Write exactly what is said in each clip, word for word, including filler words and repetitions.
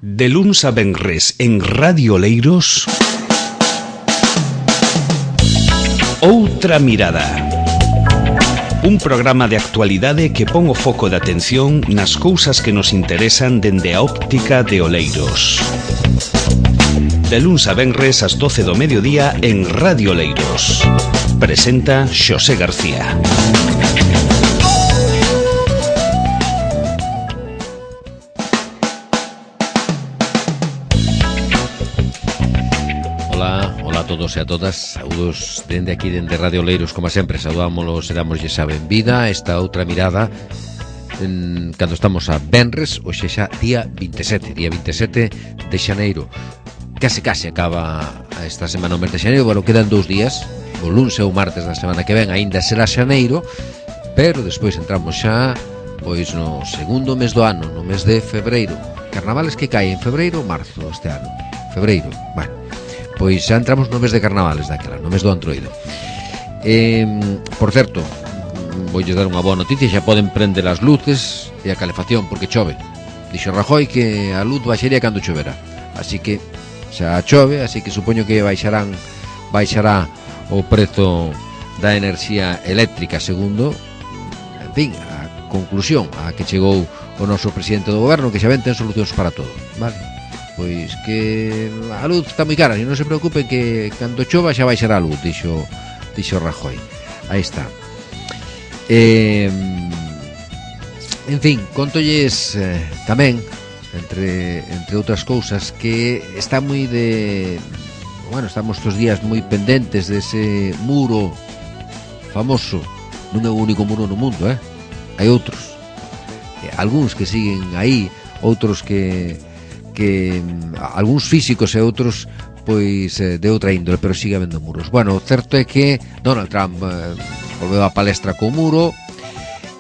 De luns a venres en Radio Oleiros, Outra Mirada. Un programa de actualidade que pon o foco de atención nas cousas que nos interesan dende a óptica de Oleiros. De luns a venres ás doce do mediodía en Radio Oleiros. Presenta Xosé García. A todos e a todas, saúdos dende aquí, dende Radio Oleiros, como sempre, saudámoslos e damoslle a benvida a esta outra mirada en, cando estamos a venres, hoxe xa día vinte e sete, día vinte e sete de xaneiro. Case case acaba esta semana o mes de xaneiro, bueno, quedan dous días, o luns e o martes da semana que ven aínda será xaneiro, pero despois entramos xa pois no segundo mes do ano, no mes de febreiro. Carnavales que cae en febreiro ou marzo este ano? Febreiro, bueno. Pois xa entramos no mes de carnavales daquela, no mes do Antroido. eh, Por certo, voulle dar unha boa noticia, xa poden prender as luces e a calefacción porque chove. Dixo Rajoy que a luz baixaría cando chovera, así que xa chove, así que supoño que baixarán baixará o prezo da enerxía eléctrica, segundo, en fin, a conclusión a que chegou o noso presidente do goberno, que xa ven ten solucións para todo, vale? Pois que a luz está moi cara, e non se preocupen que cando chova xa baixará a luz, dixo, dixo Rajoy. Aí está. eh, En fin, contolles eh, tamén, entre, entre outras cousas, que está moi de... Bueno, estamos estos días moi pendentes dese muro famoso. Non é o único muro no mundo, eh? Hai outros, eh, algúns que siguen aí, outros que que algúns físicos e outros pois eh, de outra índole, pero sigue habendo muros. Bueno, o certo é que Donald Trump eh, volveu a palestra co muro,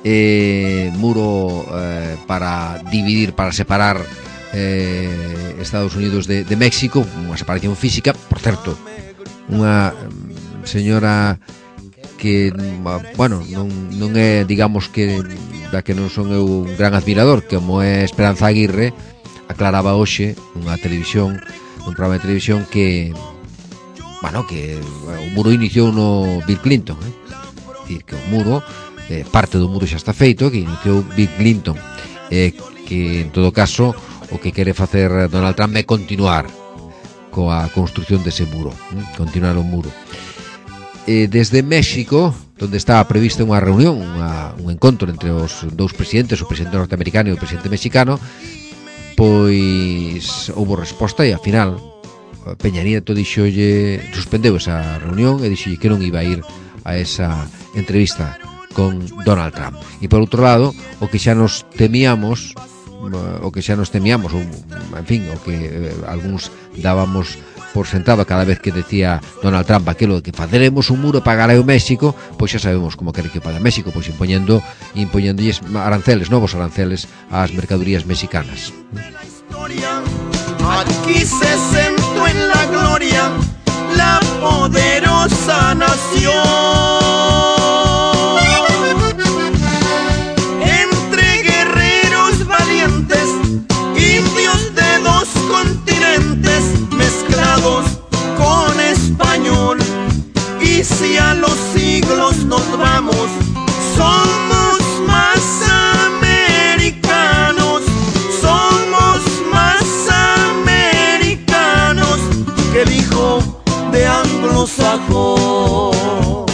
eh, muro eh, para dividir, para separar eh, Estados Unidos de, de México, unha separación física. Por certo, unha señora que, bueno, non, non é, digamos que da que non son eu un gran admirador, como é Esperanza Aguirre, aclaraba hoxe nunha televisión, nun programa de televisión, que bueno, que o muro iniciou no Bill Clinton, eh? Dicir, que o muro, eh, parte do muro xa está feito, que iniciou Bill Clinton, eh, que en todo caso o que quere facer Donald Trump é continuar coa construcción dese muro, eh? Continuar o muro. Eh, desde México, onde estaba prevista unha reunión, unha, un encontro entre os dous presidentes, o presidente norteamericano e o presidente mexicano, pois houve resposta e ao final Peña Nieto dixolle, suspendeu esa reunión e dixolle que non iba a ir a esa entrevista con Donald Trump. E por outro lado, o que xa nos temíamos, o que xa nos temíamos, ou, en fin, o que eh, algúns dábamos por sentado cada vez que decía Donald Trump aquilo de que faceremos un muro para pagar ao México, pois xa sabemos como quere que pague México, pois impoñendo impoñéndolles aranceles, novos aranceles ás mercadorías mexicanas. Aquí se sentó en la gloria la poderosa nación. Entre guerreros valientes, indios de dos continentes, mezclados con español. Y si a los siglos nos vamos, somos más americanos, somos más americanos que el hijo de anglosajón.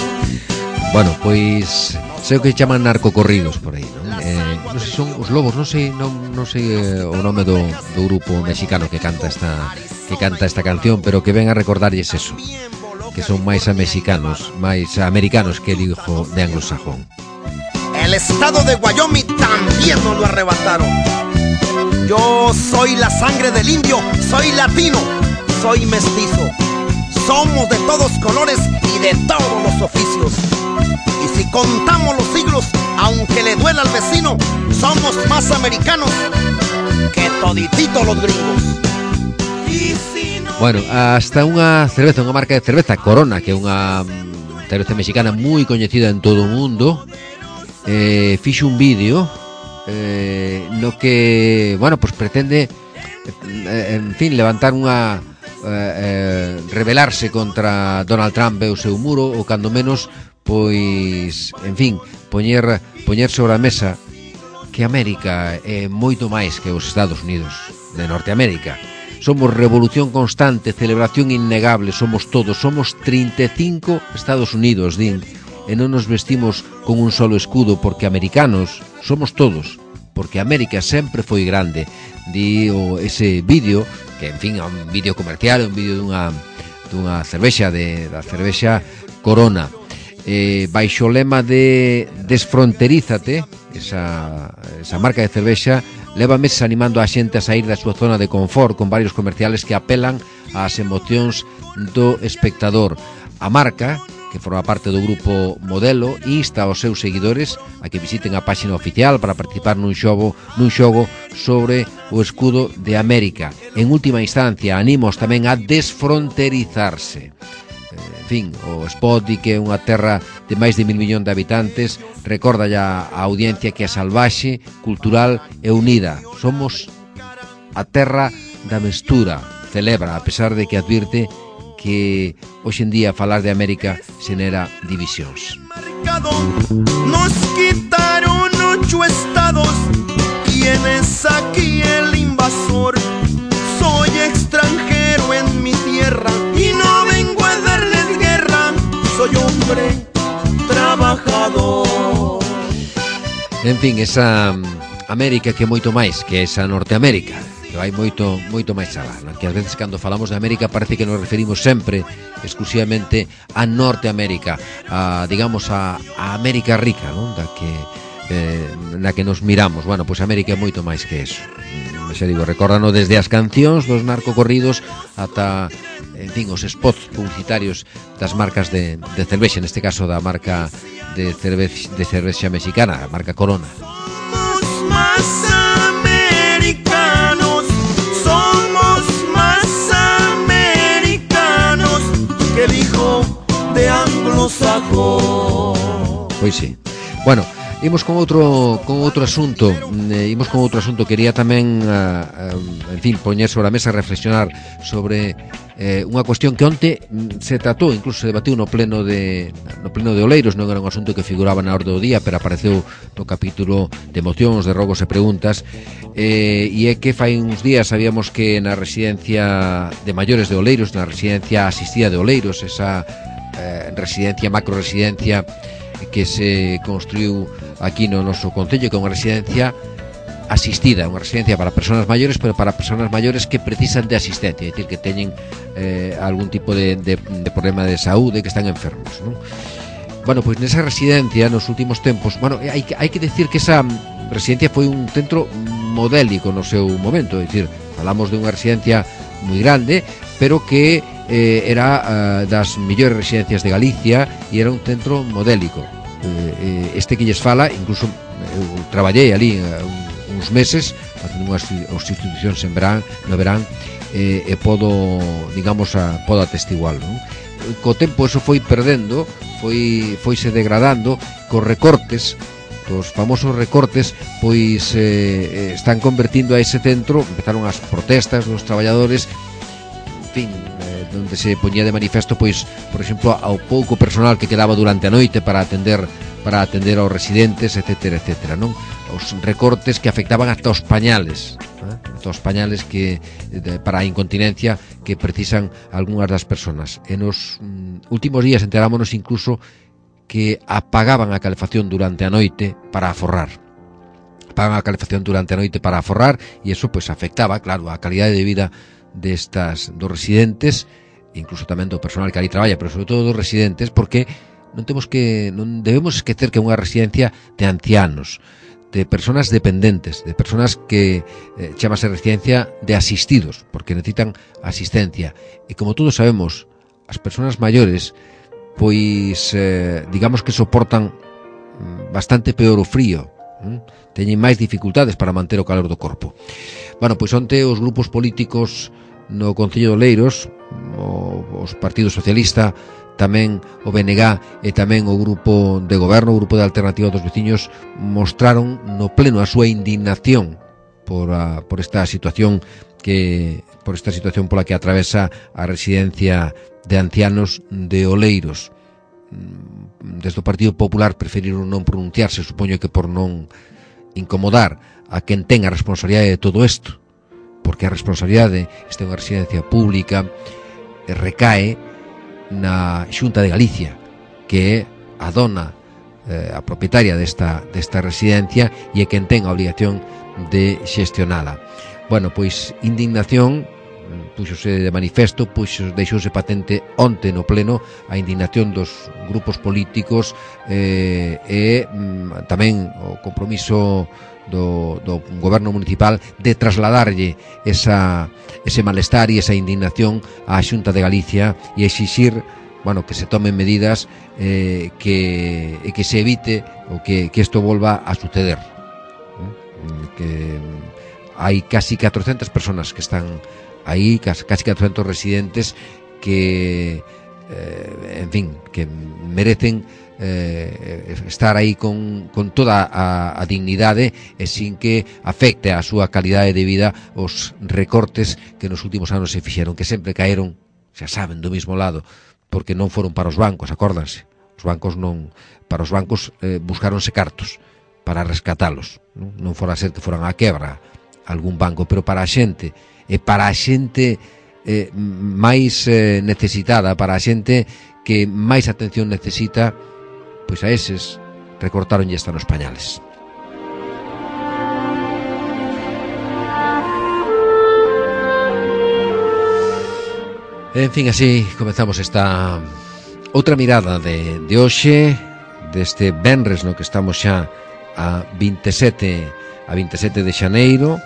Bueno, pois sei o que chaman narcocorridos por aí, non? Eh, non sei, son os lobos, non sei, non, non sei eh, o nome do, do grupo mexicano que canta esta que canta esta canción, pero que ven a recordarlles eso, que son máis a mexicanos, máis a americanos que el hijo de anglosajón. El estado de Wyoming también nos lo arrebataron. Yo soy la sangre del indio, soy latino, soy mestizo. Somos de todos colores y de todos los oficios. Y si contamos los siglos, aunque le duela al vecino, somos más americanos que todititos los gringos. Y si no... Bueno, hasta unha cerveza, unha marca de cerveza, Corona, que é unha cerveza mexicana moi coñecida en todo o mundo, eh, fixo un vídeo eh, no que, bueno, pues pretende en fin, levantar unha eh, eh, rebelarse contra Donald Trump e o seu muro, ou cando menos, pois, en fin, poñer, poñer sobre a mesa que América é moito máis que os Estados Unidos de Norteamérica. Somos revolución constante, celebración innegable, somos todos, somos trinta e cinco Estados Unidos, din, e non nos vestimos con un solo escudo, porque americanos somos todos, porque América sempre foi grande. Di o, ese vídeo, que en fin é un vídeo comercial, un vídeo dunha, dunha cervexa, de, da cervexa Corona, eh, baixo o lema de Desfronterízate, esa, esa marca de cervexa, leva meses animando a xente a sair da súa zona de confort, con varios comerciales que apelan ás emocións do espectador. A marca, que forma parte do grupo Modelo, insta aos seus seguidores a que visiten a páxina oficial para participar nun xogo, nun xogo sobre o escudo de América. En última instancia, animos tamén a desfronterizarse. En fin, o spot di que é unha terra de máis de mil millóns de habitantes, recorda ya a audiencia que é salvaxe, cultural e unida. Somos a terra da mestura, celebra, a pesar de que advirte que hoxe en día falar de América xenera divisións. Nos quitaron ocho estados. ¿Quién es aquí el invasor? Soy extranjero en mi tierra y no vengo a darles guerra. Soy hombre trabajador. En fin, esa América que é moito máis que esa Norteamérica, que vai moito moito máis alá, non? Que ás veces cando falamos de América parece que nos referimos sempre exclusivamente a Norteamérica, a, digamos, a, a América rica, non? Da que, eh, na que nos miramos. Bueno, pois América é moito máis que eso. Xa digo, recórdano desde as cancións dos narcocorridos ata, en fin, os spots publicitarios das marcas de, de cervexa, neste caso da marca de cervexa, de cervexa mexicana, a marca Corona. Somos más americanos, somos más americanos que el hijo de anglosajón. Pois sí. Bueno, imos con outro con outro asunto, eh, imos con outro asunto. Quería tamén, uh, uh, en fin, poñer sobre a mesa, reflexionar sobre eh, unha cuestión que onte se tratou, incluso se debatiu no pleno de no pleno de Oleiros. Non era un asunto que figuraba na orde do día, pero apareceu no capítulo de mocións, de rogos e preguntas, eh, e é que fai uns días sabíamos que na residencia de maiores de Oleiros, na residencia asistida de Oleiros, esa eh, residencia, macro residencia que se construiu aquí no noso concello, que é unha residencia asistida, unha residencia para persoas maiores, pero para persoas maiores que precisan de asistencia, é dicir, que teñen eh, algún tipo de, de, de problema de saúde, que están enfermos, non? Bueno, pois nesa residencia, nos últimos tempos, bueno, hai, hai que decir que esa residencia foi un centro modélico no seu momento, é dicir, falamos de unha residencia moi grande, pero que eh, era uh, das mellores residencias de Galicia e era un centro modélico. Eh, este que lles fala, incluso eu traballei ali uh, uns meses facendo unhas institucións en verán, no verán, eh, e podo, digamos, a, podo atestigualo, non? Co tempo eso foi perdendo, foi foise degradando, cos recortes, os famosos recortes, pois eh, están convertindo a ese centro, empezaron as protestas dos traballadores, en fin, eh, donde se poñía de manifesto, pois, por exemplo, ao pouco personal que quedaba durante a noite para atender para atender aos residentes, etcétera, etcétera, non? Os recortes que afectaban ata os pañales, eh? ata os pañales que de, para a incontinencia que precisan algunhas das persoas. En os mm, últimos días enterámonos incluso que apagaban a calefacción durante a noite para aforrar. Apagaban a calefacción durante a noite para aforrar, e eso pois afectaba, claro, a calidade de vida destas dos residentes, incluso tamén do personal que ali traballa, pero sobre todo dos residentes, porque non temos que non debemos esquecer que é unha residencia de ancianos, de persoas dependentes, de persoas que eh, chamase residencia de asistidos, porque necesitan asistencia. E como todos sabemos, as persoas maiores pois eh, digamos que soportan bastante peor o frío, hm? Teñen máis dificultades para manter o calor do corpo. Bueno, pois onte os grupos políticos no Concello de Oleiros, o, os Partido Socialista, tamén o B N G e tamén o grupo de goberno, o grupo de Alternativa dos Veciños, mostraron no pleno a súa indignación por, a, por esta situación que por esta situación pola que atravesa a residencia de ancianos de Oleiros. Desde o Partido Popular preferiron non pronunciarse, supoño que por non incomodar a quen ten a responsabilidade de todo isto, porque a responsabilidade, esta é unha residencia pública, recae na Xunta de Galicia, que é a dona, eh, a propietaria desta, desta residencia, e é quen ten a obligación de xestionala. Bueno, pois indignación, puxose de manifesto, puxo, deixouse patente onte no pleno a indignación dos grupos políticos eh, e mm, tamén o compromiso do, do goberno municipal de trasladarlle esa, ese malestar e esa indignación á Xunta de Galicia e exixir, bueno, que se tomen medidas eh, que, que se evite o que, que isto volva a suceder. ¿Eh? Que hai casi catrocentas personas que están aí, casi catrocentos residentes que, eh, en fin, que merecen eh, estar aí con, con toda a, a dignidade e sin que afecte a súa calidade de vida os recortes que nos últimos anos se fixeron, que sempre caeron, xa saben, do mesmo lado, porque non foron para os bancos, acórdanse. Os bancos non, para os bancos eh, buscaronse cartos para rescatalos, non, non fora ser que foran á quebra algún banco, pero para a xente, e para a xente eh, máis eh, necesitada, para a xente que máis atención necesita, pois a eses recortaron e están os pañales. En fin, así comezamos esta outra mirada de, de hoxe, deste venres no que estamos xa a veintisiete a veintisiete de xaneiro.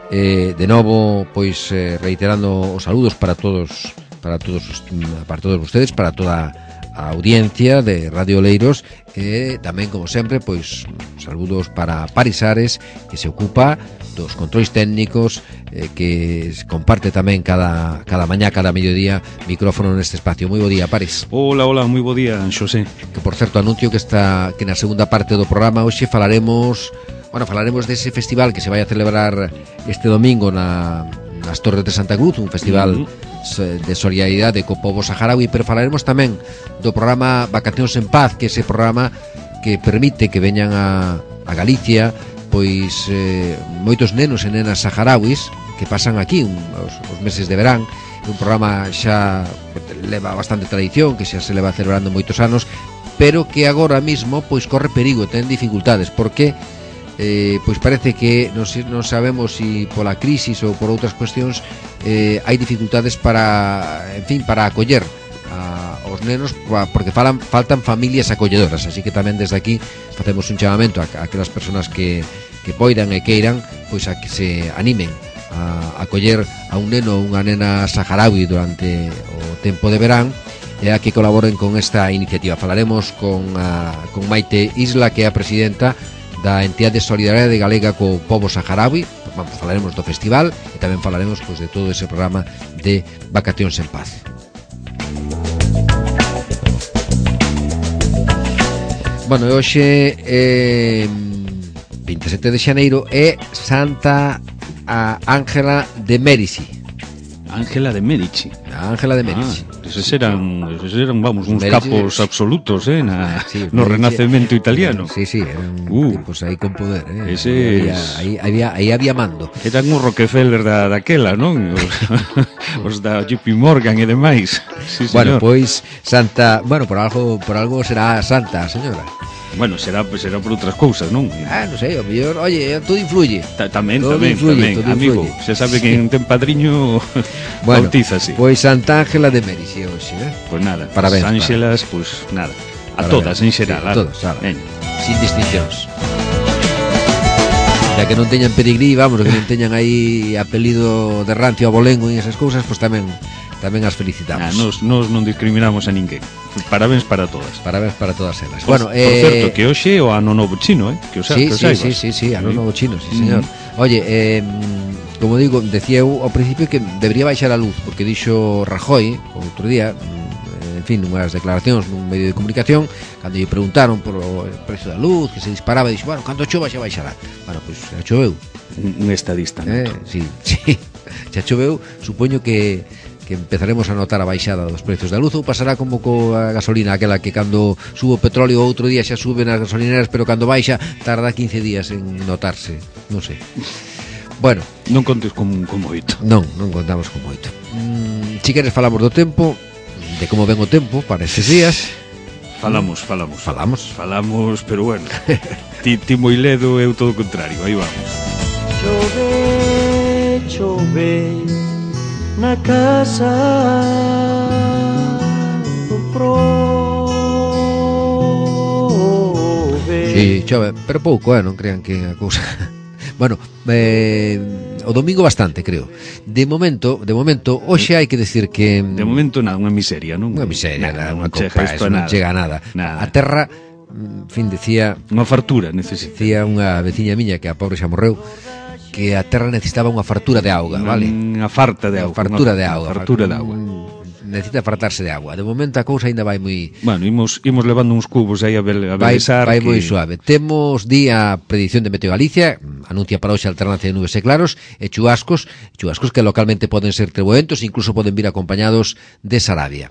Eh, de novo, pois eh, reiterando os saludos para todos, para todos, para todos ustedes, para toda a audiencia de Radio Oleiros, e tamén, como sempre, pois saludos para Paris Ares, que se ocupa dos controis técnicos, eh, que comparte tamén cada, cada mañá, cada mediodía, micrófono neste espacio. Moi bo día, Paris. Hola, hola, moi bo día, Xosé. Que, por certo, anuncio que está que na segunda parte do programa hoxe falaremos... Bueno, falaremos dese festival que se vai a celebrar este domingo na, nas Torres de Santa Cruz, un festival uh-huh. de solidaridade co pobo saharaui, pero falaremos tamén do programa Vacacións en Paz, que é ese programa que permite que veñan a, a Galicia pois eh, moitos nenos e nenas saharauis que pasan aquí un, os, os meses de verán. É un programa xa leva bastante tradición, que xa se leva celebrando moitos anos, pero que agora mismo pois corre perigo, ten dificultades, porque Eh, pois parece que non, non sabemos se si pola crisis ou por outras cuestións eh, hai dificultades para, en fin, para acoller a, os nenos, porque falan, faltan familias acolledoras, así que tamén desde aquí facemos un chamamento a, a aquelas persoas que, que poidan e queiran, pois a que se animen a acoller a un neno ou unha nena saharaui durante o tempo de verán e a que colaboren con esta iniciativa. Falaremos con, a, con Maite Isla, que é a presidenta da entidade de solidariedade galega co pobo saharaui. Vamos, falaremos do festival e tamén falaremos pois, de todo ese programa de Vacacións en Paz. Bueno, hoxe é veintisiete de xaneiro é Santa Ángela de Mérici. Ángela de Medici. Ángela de Medici. Ah, esos eran, esos eran, vamos, uns Medici, capos absolutos, eh, na, sí, no Medici, Renacemento italiano. Sí, sí, eran uh, tipos aí con poder, eh. Ese Aí había, había, aí había mando. Eran os Rockefeller da, daquela, non? Os, os da J P Morgan e demais. Sí, bueno, señor. pois Santa, bueno, por algo, por algo será santa, señora. Bueno, será, será por outras cousas, non? Ah, non sei, o mellor, oye, todo influye. Ta, tamén, todo tamén, influye, tamén, todo amigo. influye. Se sabe que ten padriño bueno, bautízase. Pois Santa Ángela de Mérici hoxe, eh? Pois nada, parabéns, Ángelas, pois nada. A parabéns. todas, en xeral. Sí, a todas, eh. sin distincións. Ya que non teñan pedigrí, vamos, que non teñan aí apelido de rancio a bolengo e esas cousas, pois tamén tamén as felicitamos. Ah, nos, nos non discriminamos a ninguén. Parabéns para todas. Parabéns para todas elas. Por, bueno, por eh... certo, que hoxe o ano novo chino, eh? Que o sea, sí, que o sí, saibas. sí, sí, sí, ano novo chino, sí, señor. Mm. Oye, eh, como digo, decía eu ao principio que debería baixar a luz, porque dixo Rajoy, o outro día, en fin, unhas declaracións nun medio de comunicación, cando lle preguntaron por o precio da luz, que se disparaba, e dixo, bueno, cando chova xa baixará. Bueno, pois xa choveu. Un estadista, non? Eh, sí, sí, xa choveu, supoño que que empezaremos a notar a baixada dos precios da luz, ou pasará como coa gasolina, aquela que cando sube o petróleo outro día xa sube nas gasolineras, pero cando baixa tarda quince días en notarse, non sei. Bueno, non contes con, con moito. Non, non contamos con moito. Mm, si queres falamos do tempo, de como ven o tempo para estes días. Falamos, falamos. Falamos. Falamos, pero bueno. ti, ti moi ledo, eu todo o contrario, aí vamos. Chove, chove na casa do prove. Sí, chove, pero pouco, eh, non crean que a cousa. Bueno, eh, o domingo bastante, creo. De momento, de momento, hoxe hai que decir que de momento nada, unha miseria, non? Unha miseria, nada, unha chega copa, isto a non nada. chega a nada. Nada. A terra, en fin, decía Unha fartura necesita. decía unha veciña miña que a pobre xa morreu, que a terra necesitaba unha fartura de auga, vale? Unha farta de Unha auga. fartura unha, de auga. Unha fartura de auga. Necesita fartarse de agua. De momento a cousa ainda vai moi Bueno, imos, imos levando uns cubos aí a, bel, a vai, belezar vai que... moi suave. Temos día predicción de Meteo Galicia, anuncia para hoxe alternancia de nubes e claros e chubascos, chubascos que localmente poden ser treboentos, incluso poden vir acompañados de sarabia.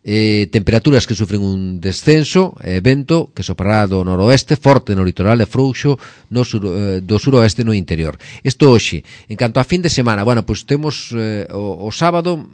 Eh, temperaturas que sufren un descenso, eh, vento que soprará do noroeste, forte no litoral e frouxo no sur, eh, do suroeste no interior. Isto hoxe. En canto a fin de semana, bueno, pois pues temos eh, o, o sábado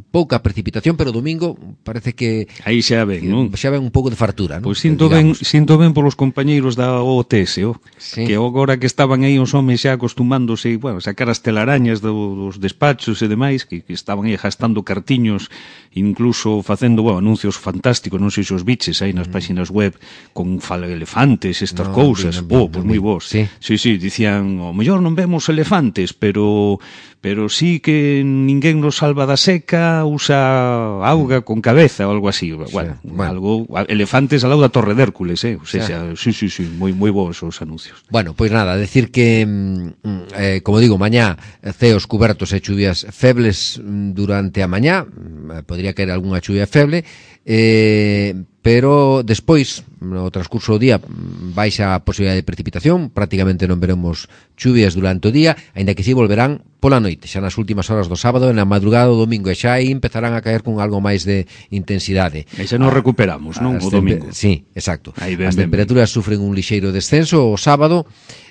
pouca precipitación, pero o domingo parece que aí xa ven, non? Xa ven un pouco de fartura, non? Pois sinto ben, sinto ben polos compañeiros da O T S, oh, sí. Que agora que estaban aí os homes xa acostumándose, bueno, sacar as telarañas do, dos despachos e demais, que, que estaban aí gastando cartiños, incluso facendo, bueno, anuncios fantásticos, non sei se os biches aí nas mm. páxinas web con fala elefantes, estas no, cousas, no, no, oh, pois no, moi vos. Sí. sí, sí, dicían, o mellor non vemos elefantes, pero pero sí que ninguén nos salva da seca, usa auga con cabeza ou algo así, bueno, sí, bueno. algo elefantes al lado da Torre de Hércules, eh, o sea, sí, sí, sí, moi moi bons os anuncios. Bueno, pois nada, decir que eh, como digo, mañá ceos cubertos e chuvias febles durante a mañá, podría caer algunha chuvia feble, eh, pero despois, no transcurso do día, baixa a posibilidade de precipitación, prácticamente non veremos chuvias durante o día, aínda que si volverán pola noite, xa nas últimas horas do sábado, na madrugada do domingo, e xa aí empezarán a caer con algo máis de intensidade. E xa nos recuperamos, non? O domingo. Sí, exacto. Ben, as ben, temperaturas ben. sufren un lixeiro descenso o sábado,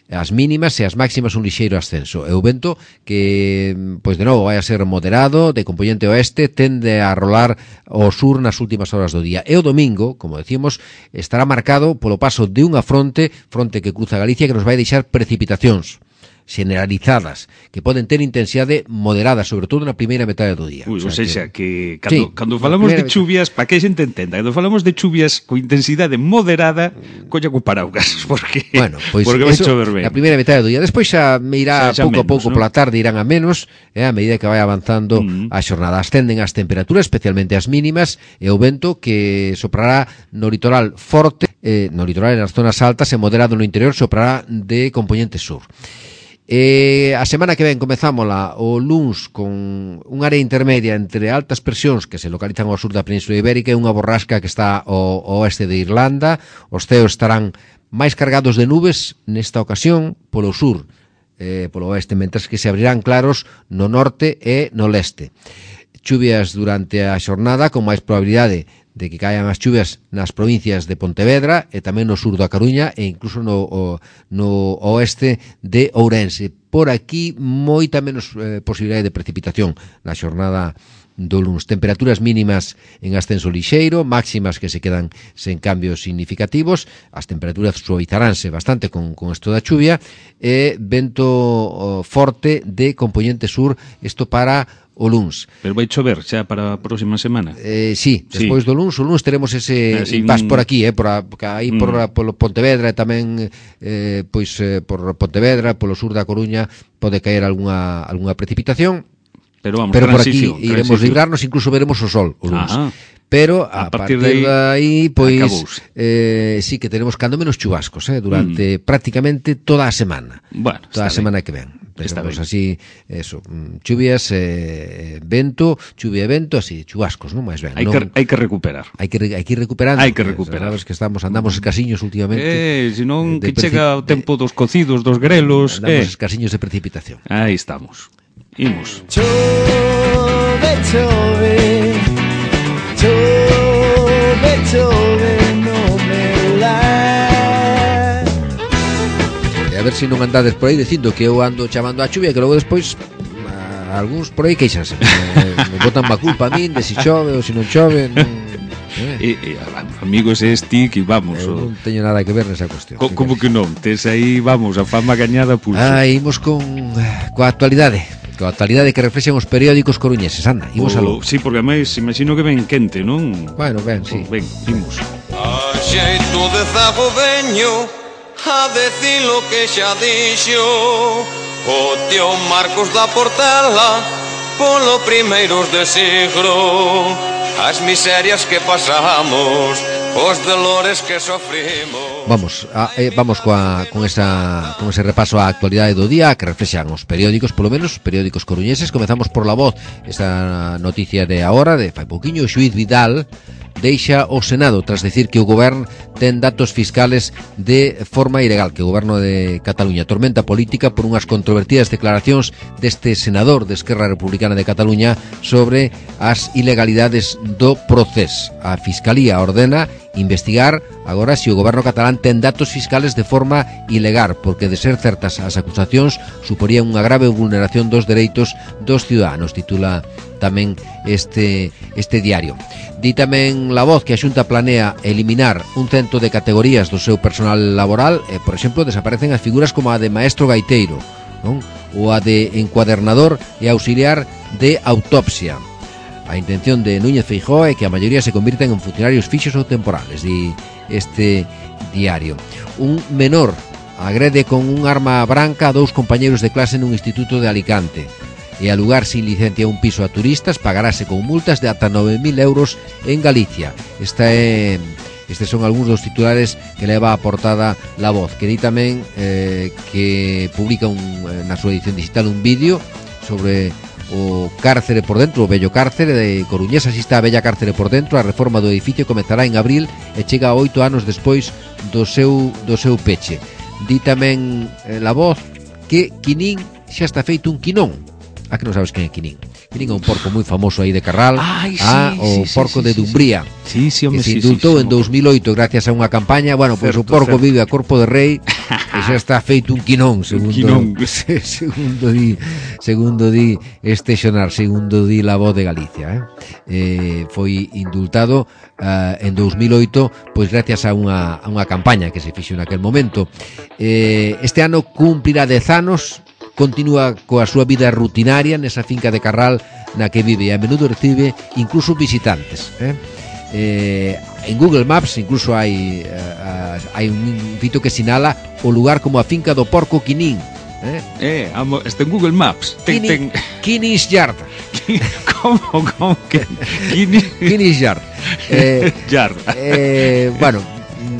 as mínimas e as máximas un lixeiro ascenso. E o vento que, pois de novo, vai a ser moderado, de componente oeste, tende a rolar ao sur nas últimas horas do día. E o domingo, como decíamos, estará marcado polo paso de unha fronte, fronte que cruza Galicia, que nos vai deixar precipitacións generalizadas, que poden ter intensidade moderada, sobre todo na primeira metade do día. Ui, o sea, o sea que, que cando, sí, cando falamos de chuvias, para que a xente entenda, cando falamos de chuvias con intensidade moderada, colla co paraugas, porque, bueno, pois porque vai chover ben. Na primeira metade do día, despois xa me irá xa, xa pouco menos, a pouco ¿no? pola tarde, irán a menos, eh, a medida que vai avanzando uh-huh. a xornada. Ascenden as temperaturas, especialmente as mínimas, e o vento que soprará no litoral forte, eh, no litoral e nas zonas altas, e moderado no interior, soprará de componente sur. Eh, a semana que ven comezámola o luns con un área intermedia entre altas presións que se localizan ao sur da Península Ibérica e unha borrasca que está ao, ao oeste de Irlanda. Os ceos estarán máis cargados de nubes nesta ocasión polo sur, eh, polo oeste, mentres que se abrirán claros no norte e no leste. Chuvias durante a xornada con máis probabilidade de que caian as chuvias nas provincias de Pontevedra e tamén no sur da Coruña e incluso no, o, no oeste de Ourense. Por aquí, moita menos eh, posibilidade de precipitación na xornada do luns. Temperaturas mínimas en ascenso lixeiro, máximas que se quedan sen cambios significativos, as temperaturas suavizaránse bastante con, con isto da chuvia, e vento oh, forte de componente sur, isto para o luns. Pero vai chover xa para a próxima semana? Eh, sí, despois sí. do luns, o luns teremos ese eh, sí, impas por aquí, eh, por a, aí mm. por polo Pontevedra e tamén eh, pois eh, por Pontevedra, polo sur da Coruña pode caer algunha algunha precipitación. Pero vamos, pero por aquí iremos librarnos, incluso veremos o sol o luns. Ajá. pero a, a partir, partir de aí, pois eh, sí que tenemos cando menos chubascos, eh, durante mm. prácticamente toda a semana. Bueno, toda a semana que ven. Tenemos así, eso, chuvias, eh, vento, chuvia e vento, así, chubascos, non máis ben. Hai que, hai que recuperar. Hai que, hai que ir recuperando. Hai que recuperar. Sabes que estamos, andamos escasiños últimamente. Eh, senón que chega o tempo dos cocidos, dos grelos. Andamos eh. escasiños de precipitación. Aí estamos. Imos. Chove, chove, chove, chove no meu lar. E a ver se non andades por aí dicindo que eu ando chamando a chuvia, que logo despois a, algúns por aí queixanse. me, me botan má culpa a min de se chove ou se non chove. Non, E, eh. e, amigos, este que vamos. Eu non teño nada que ver nesa cuestión. Co, como que non? Tes aí, vamos, a fama gañada pulso. Ah, imos con coa actualidade. Coa actualidade que reflexan os periódicos coruñeses. Anda, imos o, aló. Sí, porque ademais imagino que ven quente, non? Bueno, ben, sí. O, ven, imos. A xeito de zago veño a decir lo que xa dixo o tío Marcos da Portela polo primeiros de siglo, as miserias que pasamos, os dolores que sofrimos. Vamos, a, eh, vamos coa, con, esa, con ese repaso á actualidade do día que reflexan os periódicos, polo menos periódicos coruñeses. Comezamos por La Voz, esa noticia de agora, de fai pouquiño. O xuíz Vidal deixa o Senado tras decir que o goberno ten datos fiscales de forma ilegal, que o goberno de Cataluña tormenta política por unhas controvertidas declaracións deste senador de Esquerra Republicana de Cataluña sobre as ilegalidades do procés. A Fiscalía ordena investigar agora se o goberno catalán ten datos fiscales de forma ilegal, porque de ser certas as acusacións suporían unha grave vulneración dos dereitos dos ciudadanos, titula tamén este este diario. Di tamén La Voz que a Xunta planea eliminar un cento de categorías do seu personal laboral, e, por exemplo, desaparecen as figuras como a de maestro gaiteiro, non? Ou a de encuadernador e auxiliar de autopsia. A intención de Núñez Feijóo é que a maioría se convirten en funcionarios fixos ou temporales, di este diario. Un menor agrede con un arma branca a dous compañeros de clase nun instituto de Alicante. E alugar sin licencia un piso a turistas pagarase con multas de ata nove mil euros en Galicia. Esta é... Estes son algúns dos titulares que leva a portada La Voz, que di tamén eh, que publica un, na súa edición digital un vídeo sobre o cárcere por dentro, o bello cárcere de Coruñés. Así está a bella cárcere por dentro. A reforma do edificio comezará en abril e chega oito anos despois do seu, do seu peche. Di tamén eh, La Voz que Quinín xa está feito un quinón. Ah, que non sabes quen é Quinín. Quinín é un porco moi famoso aí de Carral. Ai, sí, ah, o sí, porco sí, de sí, Dumbría. Sí, sí, home, que se sí, indultou sí, sí, en dos mil oito gracias a unha campaña. Bueno, pois pues, o porco certo. Vive a corpo de rei e xa está feito un quinón, segundo quinón. segundo di, segundo di este xonar, segundo di La Voz de Galicia, eh? Eh, foi indultado uh, en dos mil oito, pois gracias a unha, a unha campaña que se fixo naquel momento. Eh, este ano cumprirá dez anos. Continúa coa súa vida rutinaria nesa finca de Carral na que vive e a menudo recibe incluso visitantes, eh? Eh, en Google Maps incluso hai uh, hai un fito que sinala o lugar como a finca do porco Quinín, eh? Eh, amo, está en Google Maps. Ten, ten... Quinis Yard. Como, como que Quinis Quinis Yard. Eh, Yard. Eh, bueno,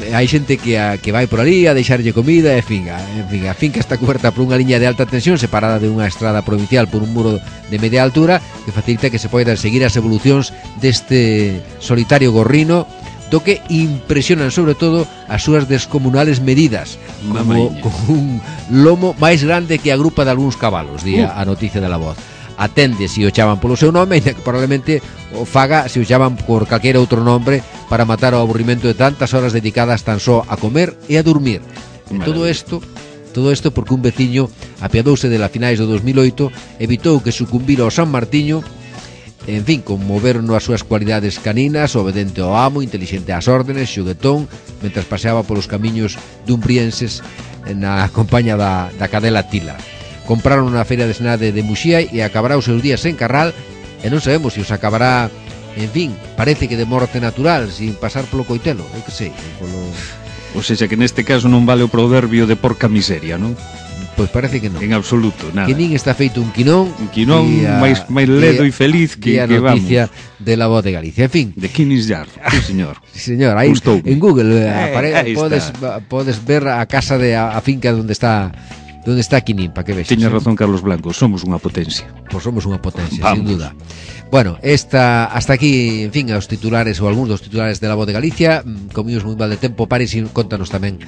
hai xente que a, que vai por ali a deixarlle comida, e fin, a, en fin, a finca está coberta por unha liña de alta tensión separada de unha estrada provincial por un muro de media altura que facilita que se poidan seguir as evolucións deste solitario gorrino, do que impresionan sobre todo as súas descomunales medidas, como con un lomo máis grande que a grupa de algúns cabalos, di uh. a noticia de La Voz. Atende se o chaman polo seu nome, ainda que probablemente o faga se o chaman por calquera outro nombre para matar o aburrimento de tantas horas dedicadas tan só a comer e a dormir. E todo isto, todo isto porque un veciño apiadouse de la finais do dos mil oito, evitou que sucumbira ao San Martiño, en fin, conmoveron as súas cualidades caninas, obedente ao amo, intelixente ás órdenes, xuguetón, mentras paseaba polos camiños dumbrienses na compañía da, da cadela Tila. Compraron na feira de Senade de Muxía e acabará os seus días en Carral, e non sabemos se os acabará, en fin, parece que de morte natural, sin pasar polo coitelo, eu que sei, polo... O sea, que neste caso non vale o proverbio de porca miseria, non? Pois parece que non. En absoluto, nada. Que nin está feito un quinón. Un quinón máis máis ledo e feliz que, a que vamos. noticia de la Voz de Galicia. En fin. De Kinis Yard, sí señor. Sí señor, aí Gustoume. en Google eh, Eh, apare, aí podes, está. podes ver a casa de a, a finca onde está onde está Quinín, para que vexas. Teña razón Carlos Blanco, somos unha potencia. Pois somos unha potencia, Vamos. sin duda. Bueno, esta, hasta aquí, en fin, os titulares ou algúns dos titulares de la Voz de Galicia. Comíos moi mal de tempo. Paris, e contanos tamén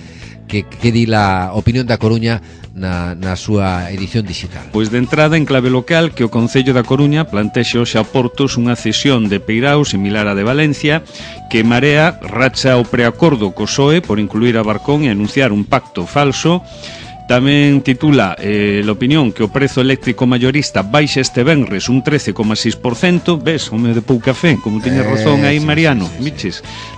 que, que di la opinión da Coruña na, na súa edición digital. Pois de entrada en clave local que o Concello da Coruña plantexa hoxe a Portos unha cesión de Peirao similar á de Valencia, que Marea racha o preacordo co P S O E por incluir a Barcón e anunciar un pacto falso. Tamén titula eh, la opinión que o prezo eléctrico mayorista baixa este venres un trece coma seis por cento. Ves, home de pouca fe, como tiña razón aí sí, Mariano, sí, sí, sí. Miches.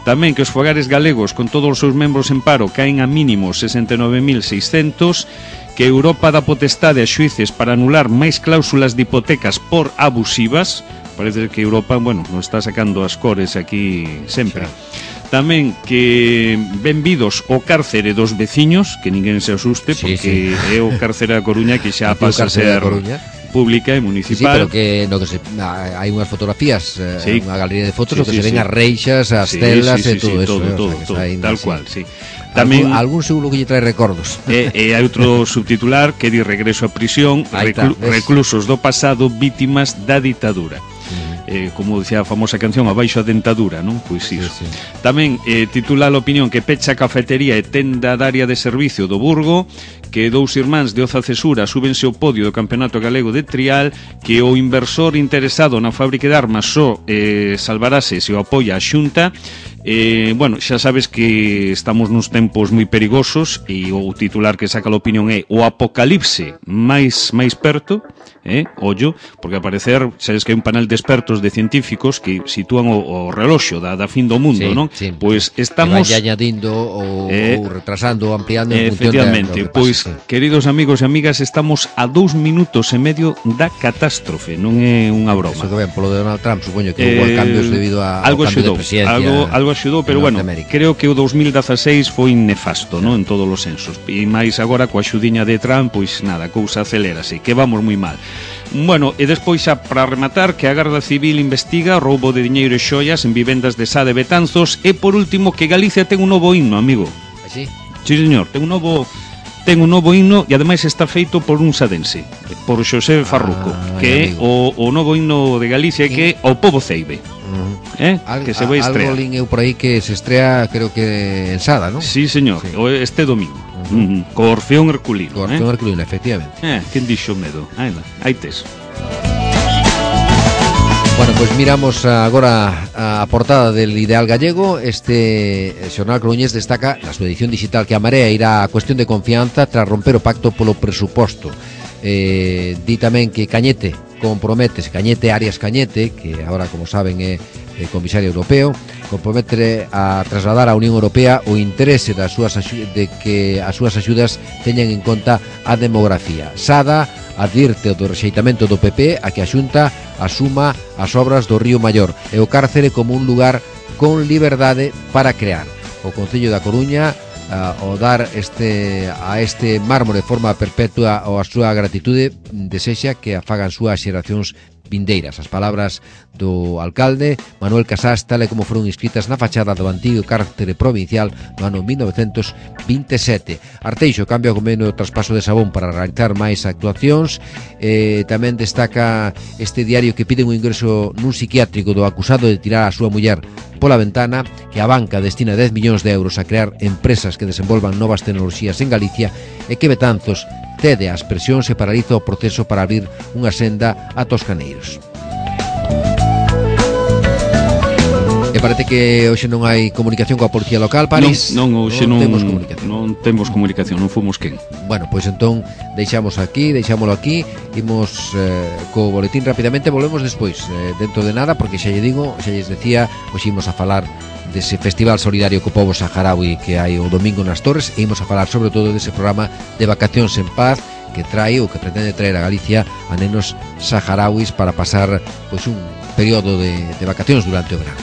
Tamén que os fogares galegos con todos os seus membros en paro caen a mínimo sesenta e nove mil seiscentos, que Europa dá potestade a xuíces para anular máis cláusulas de hipotecas por abusivas. Parece que Europa, bueno, nos está sacando as cores aquí sempre. Sí. Tamén que benvidos o cárcere dos veciños, que ninguén se asuste, Sí, porque sí. é o cárcere da Coruña que xa Aquí o pasa a cárcere da ser Coruña. pública e Sí, sí, municipal. pero que no que se ah, hai unhas fotografías, eh, Sí. unha galería de fotos, Sí, o que sí, se ven sí. as reixas, as Sí, telas sí, e sí, todo sí, eso, todo, eh, o sea, todo, que todo, está aí, tal sí. cual, sí. Tamén Tamén algún seguro que lle trae recordos. E, e hai outro subtitular que di regreso a prisión, Aí está, reclu- ves? reclusos do pasado vítimas da ditadura. Eh, como decía a famosa canción, abaixo a dentadura, non? Pois iso. Sí, sí. Tamén eh, titula a opinión que pecha a cafetería e tenda de área de servicio do Burgo, que dous irmáns de Oza Cesura súbense ao podio do Campeonato Galego de Trial, que o inversor interesado na fábrica de armas só eh, salvarase se o apoia a Xunta. Eh, bueno, xa sabes que estamos nuns tempos moi perigosos e o titular que saca a opinión é o apocalipse máis máis perto, eh, ollo, porque a parecer sabes que hai un panel de expertos de científicos que sitúan o, o reloxo da, da fin do mundo, Sí, non? sí. Pois Que estamos vai añadindo ou, Eh, ou retrasando ou ampliando en función efectivamente, de, do que pois, pasa, sí. queridos amigos e amigas, estamos a dous minutos e medio da catástrofe, non é unha broma. Eso que ven polo de Donald Trump, supoño que hubo Eh, cambios debido a, algo ao cambio axudou, de presidencia. algo, algo axudou, pero en bueno, Norteamérica. creo que o dos mil dezaseis foi nefasto, non, en todos os sensos. E máis agora coa xudiña de Trump, pois nada, a cousa acelérase, que vamos moi mal. Bueno, e despois xa para rematar que a Garda Civil investiga roubo de diñeiro e xoias en vivendas de Sá de Betanzos e por último que Galicia ten un novo himno, amigo. Así? Sí, señor, ten un novo ten un novo himno e ademais está feito por un sadense, por Xosé Farruco, Ah, que é amigo. o, o novo himno de Galicia que é o pobo ceibe. Uh-huh. Eh? Al, que se vai a- estrear. Algo lin eu por aí que se estrea, creo que en Sada, ¿no? Sí, señor, Sí. o este domingo. Uh-huh. Uh -huh. Co Orfeón Herculino, Con eh? Orfeón Herculino, efectivamente. Eh, quen dixo medo? Aí, lá, aí tes. Bueno, pues miramos agora a portada del Ideal Gallego. Este xornal coruñés destaca na súa edición digital que a Marea irá a cuestión de confianza tras romper o pacto polo presuposto. Eh, di tamén que Cañete compromete, Cañete, Arias Cañete, que agora, como saben, é eh, comisario europeo, compromete a trasladar á Unión Europea o interese das súas axu- de que as súas axudas teñan en conta a demografía. Sada advirte do rexeitamento do P P a que a Xunta asuma as obras do Río Maior e o cárcere como un lugar con liberdade para crear. O Concello da Coruña a, o dar este a este mármore de forma perpetua ou a súa gratitude desexa que a fagan súas xeracións vindeiras. As palabras do alcalde Manuel Casás, tal e como foron inscritas na fachada do antigo cárcere provincial no ano mil novecentos vinte e sete. Arteixo cambia o convenio do traspaso de Sabón para realizar máis actuacións. Eh, tamén destaca este diario que piden un ingreso nun psiquiátrico do acusado de tirar a súa muller pola ventana, que a banca destina dez millóns de euros a crear empresas que desenvolvan novas tecnoloxías en Galicia e que Betanzos cede ás presións e paraliza o proceso para abrir unha senda a Toscaneiros. E parece que hoxe non hai comunicación coa policía local, París. Non, non, hoxe non, temos comunicación. non temos comunicación, non fomos quen. Bueno, pois entón deixamos aquí, deixámolo aquí, imos eh, co boletín rapidamente, volvemos despois, eh, dentro de nada, porque xa lle digo, xa lles decía, hoxe imos a falar dese festival solidario co pobo saharaui que hai o domingo nas Torres e imos a falar sobre todo dese programa de vacacións en paz que trae ou que pretende traer a Galicia a nenos saharauis para pasar pois un período de, de vacacións durante o verano.